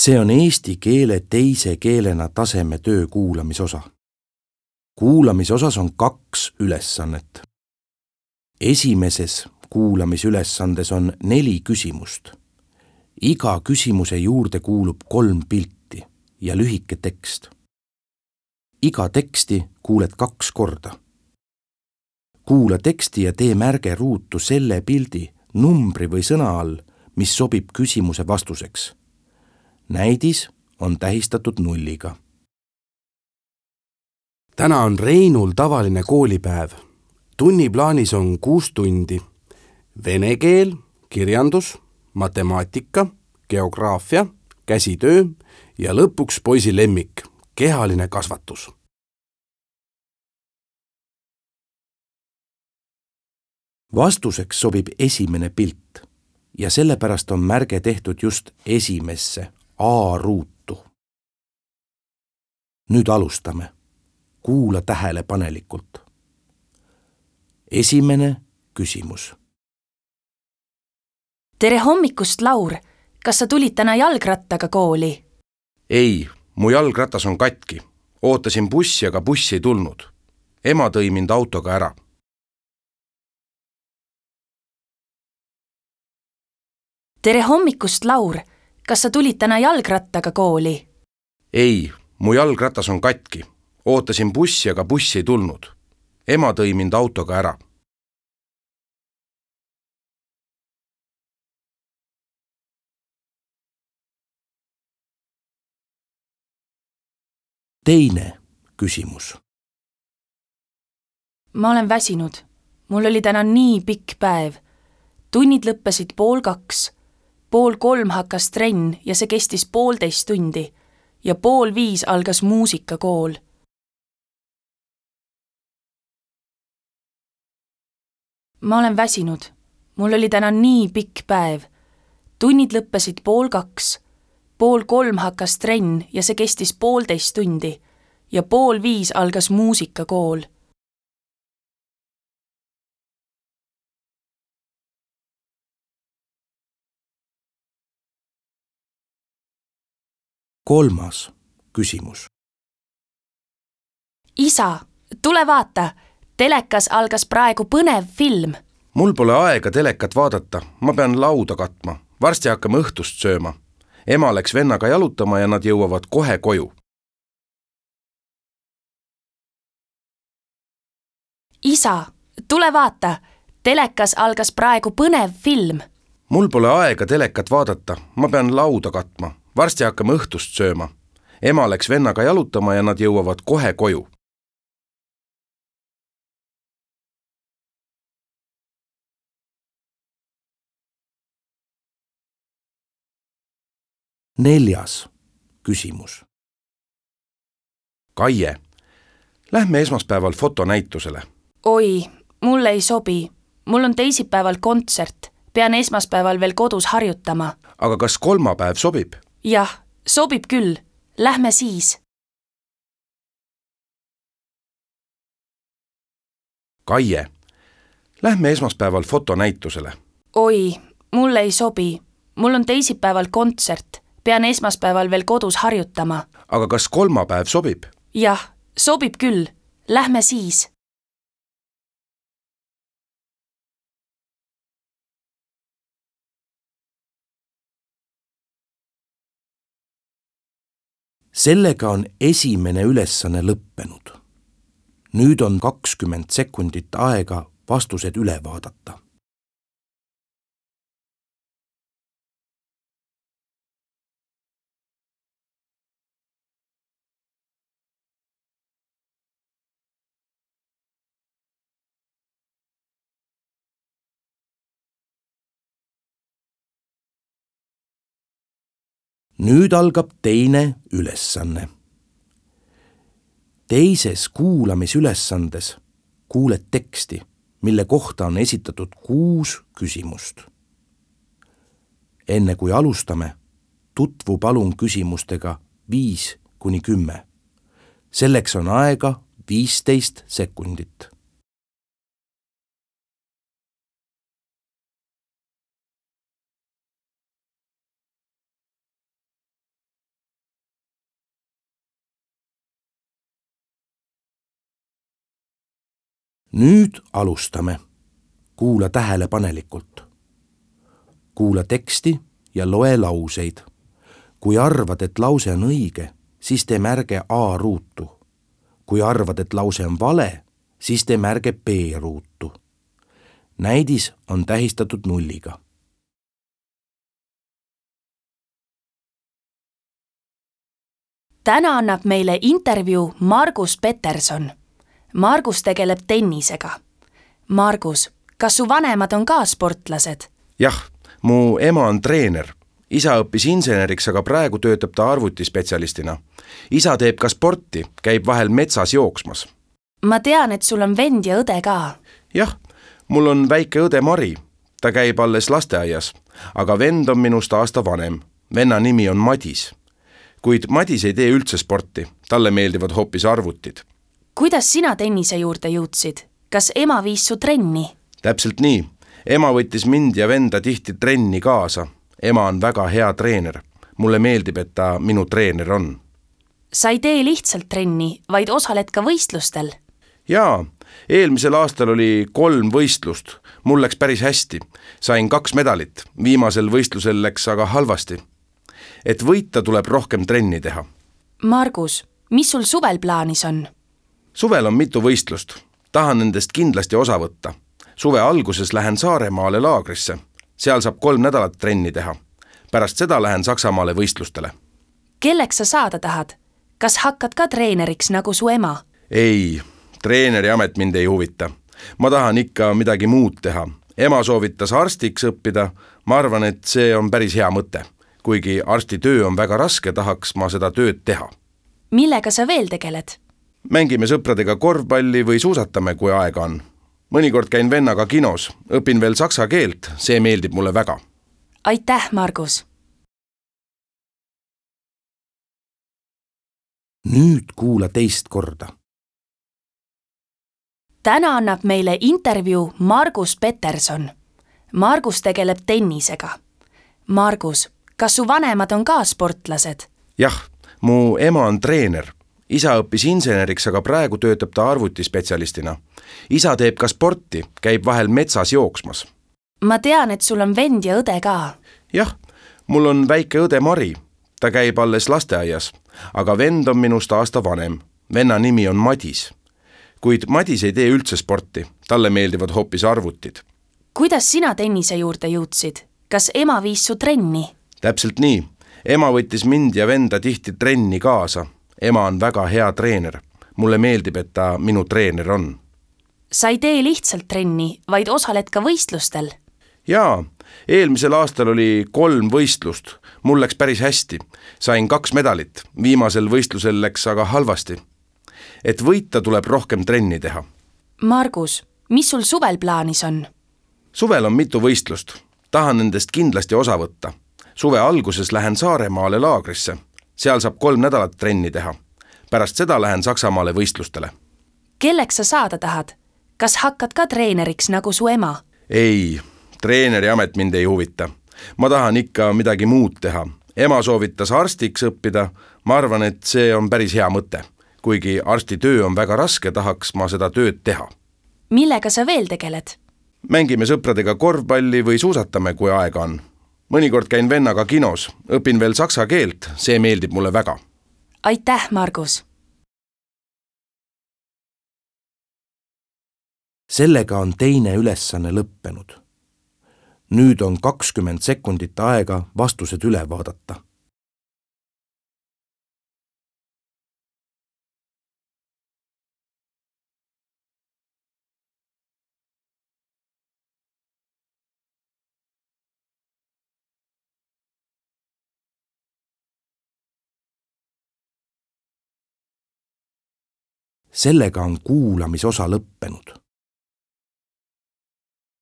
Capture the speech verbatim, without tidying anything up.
See on eesti keele teise keelena taseme töö kuulamisosa. Kuulamisosas on kaks ülesannet. Esimeses kuulamisülesandes on neli küsimust. Iga küsimuse juurde kuulub kolm pilti ja lühike tekst. Iga teksti kuuled kaks korda. Kuula teksti ja tee märge ruutu selle pildi, numbri või sõna all, mis sobib küsimuse vastuseks. Näidis on tähistatud nulliga. Täna on Reinul tavaline koolipäev. Tunniplaanis on kuus tundi. Vene keel, kirjandus, matemaatika, geograafia, käsitöö ja lõpuks poisi lemmik, kehaline kasvatus. Vastuseks sobib esimene pilt ja sellepärast on märge tehtud just esimesse A-ruutu. Nüüd alustame. Kuula tähelepanelikult. Esimene küsimus. Tere hommikust, Laur! Kas sa tulid täna jalgrattaga kooli? Ei, mu jalgratas on katki. Ootasin bussi, aga bussi ei tulnud. Ema tõi mind autoga ära. Tere hommikust, Laur! Kas sa tulid täna jalgrattaga kooli? Ei, mu jalgratas on katki. Ootasin bussi, aga bussi ei tulnud. Ema tõi mind autoga ära. Teine küsimus. Ma olen väsinud. Mul oli täna nii pikk päev. Tunnid lõppesid pool kaks. Pool kolm hakkas trenn ja see kestis poolteist tundi. Ja pool viis algas muusikakool. Ma olen väsinud. Mul oli täna nii pikk päev. Tunnid lõppesid pool kaks. Pool kolm hakkas trenn ja see kestis poolteist tundi. Ja pool viis algas muusikakool. Kolmas küsimus. Isa, tule vaata! Telekas algas praegu põnev film. Mul pole aega telekat vaadata. Ma pean lauda katma. Varsti hakkame õhtust sööma. Ema läks vennaga jalutama ja nad jõuavad kohe koju. Isa, tule vaata! Telekas algas praegu põnev film. Mul pole aega telekat vaadata. Ma pean lauda katma. Varsti hakkame õhtust sööma. Ema läks vennaga jalutama ja nad jõuavad kohe koju. Neljas küsimus. Kaie, lähme esmaspäeval fotonäitusele. Oi, mulle ei sobi. Mul on teisipäeval kontsert. Pean esmaspäeval veel kodus harjutama. Aga kas kolmapäev sobib? Jah, sobib küll. Lähme siis. Kaie, lähme esmaspäeval fotonäitusele. Oi, mulle ei sobi. Mul on teisipäeval kontsert. Pean esmaspäeval veel kodus harjutama. Aga kas kolmapäev sobib? Jah, sobib küll. Lähme siis. Sellega on esimene ülesanne lõppenud. Nüüd on kakskümmend sekundit aega vastused üle vaadata. Nüüd algab teine ülesanne. Teises kuulamisülesandes kuuled teksti, mille kohta on esitatud kuus küsimust. Enne kui alustame, tutvu palun küsimustega viis kuni kümme. Selleks on aega viisteist sekundit. nüüd alustame. Kuula tähelepanelikult. Kuula teksti ja loe lauseid. Kui arvad, et lause on õige, siis tee märge A ruutu. Kui arvad, et lause on vale, siis tee märge B ruutu. Näidis on tähistatud nulliga. Täna annab meile intervjuu Margus Peterson. Margus tegeleb tennisega. Margus, kas su vanemad on ka sportlased? Jah, mu ema on treener. Isa õppis inseneriks, aga praegu töötab ta arvutispetsialistina. Isa teeb ka sporti, käib vahel metsas jooksmas. Ma tean, et sul on vend ja õde ka. Jah, mul on väike õde Mari. Ta käib alles lasteaias, aga vend on minust aasta vanem. Venna nimi on Madis. Kuid Madis ei tee üldse sporti. Talle meeldivad hoopis arvutid. Kuidas sina tennise juurde jõudsid? Kas ema viis su trenni? Täpselt nii. Ema võttis mind ja venda tihti trenni kaasa. Ema on väga hea treener. Mulle meeldib, et ta minu treener on. Sa ei tee lihtsalt trenni, vaid osaled ka võistlustel. Jaa, eelmisel aastal oli kolm võistlust. Mul läks päris hästi. Sain kaks medalit. Viimasel võistlusel läks aga halvasti. Et võita tuleb rohkem trenni teha. Margus, mis sul suvel plaanis on? Suvel on mitu võistlust. Tahan nendest kindlasti osa võtta. Suve alguses lähen Saaremaale laagrisse. Seal saab kolm nädalat trenni teha. Pärast seda lähen Saksamaale võistlustele. Kelleks sa saada tahad? Kas hakkad ka treeneriks nagu su ema? Ei, treeneri amet mind ei huvita. Ma tahan ikka midagi muud teha. Ema soovitas arstiks õppida. Ma arvan, et see on päris hea mõte. Kuigi arsti töö on väga raske, tahaks ma seda tööd teha. Millega sa veel tegeled? Mängime sõpradega korvpalli või suusatame, kui aega on. Mõnikord käin vennaga kinos, õpin veel saksa keelt, see meeldib mulle väga. Aitäh, Margus! Nüüd kuula teist korda. Täna annab meile intervjuu Margus Peterson. Margus tegeleb tennisega. Margus, kas su vanemad on ka sportlased? Jah, mu ema on treener. Isa õppis inseneriks, aga praegu töötab ta arvutispetsialistina. Isa teeb ka sporti, käib vahel metsas jooksmas. Ma tean, et sul on vend ja õde ka. Jah, mul on väike õde Mari. Ta käib alles lasteaias, aga vend on minust aasta vanem. Venna nimi on Madis. Kuid Madis ei tee üldse sporti. Talle meeldivad hoopis arvutid. Kuidas sina tennise juurde jõudsid? Kas ema viis su trenni? Täpselt nii. Ema võttis mind ja venda tihti trenni kaasa. Ema on väga hea treener. Mulle meeldib, et ta minu treener on. Sa ei tee lihtsalt trenni, vaid osaled ka võistlustel. Jaa, eelmisel aastal oli kolm võistlust. Mul läks päris hästi. Sain kaks medalit. Viimasel võistlusel läks aga halvasti. Et võita tuleb rohkem trenni teha. Margus, mis sul suvel plaanis on? Suvel on mitu võistlust. Tahan nendest kindlasti osa võtta. Suve alguses lähen Saaremaale laagrisse. Seal saab kolm nädalat trenni teha. Pärast seda lähen Saksamaale võistlustele. Kelleks sa saada tahad? Kas hakkad ka treeneriks nagu su ema? Ei, treeneri amet mind ei huvita. Ma tahan ikka midagi muud teha. Ema soovitas arstiks õppida. Ma arvan, et see on päris hea mõte. Kuigi arsti töö on väga raske, tahaks ma seda tööd teha. Millega sa veel tegeled? Mängime sõpradega korvpalli või suusatame, kui aega on. Mõnikord käin vennaga kinos, õpin veel saksa keelt, see meeldib mulle väga. Aitäh, Margus! Sellega on teine ülesanne lõppenud. Nüüd on kakskümmend sekundit aega vastused üle vaadata. Sellega on kuulamisosa lõppenud.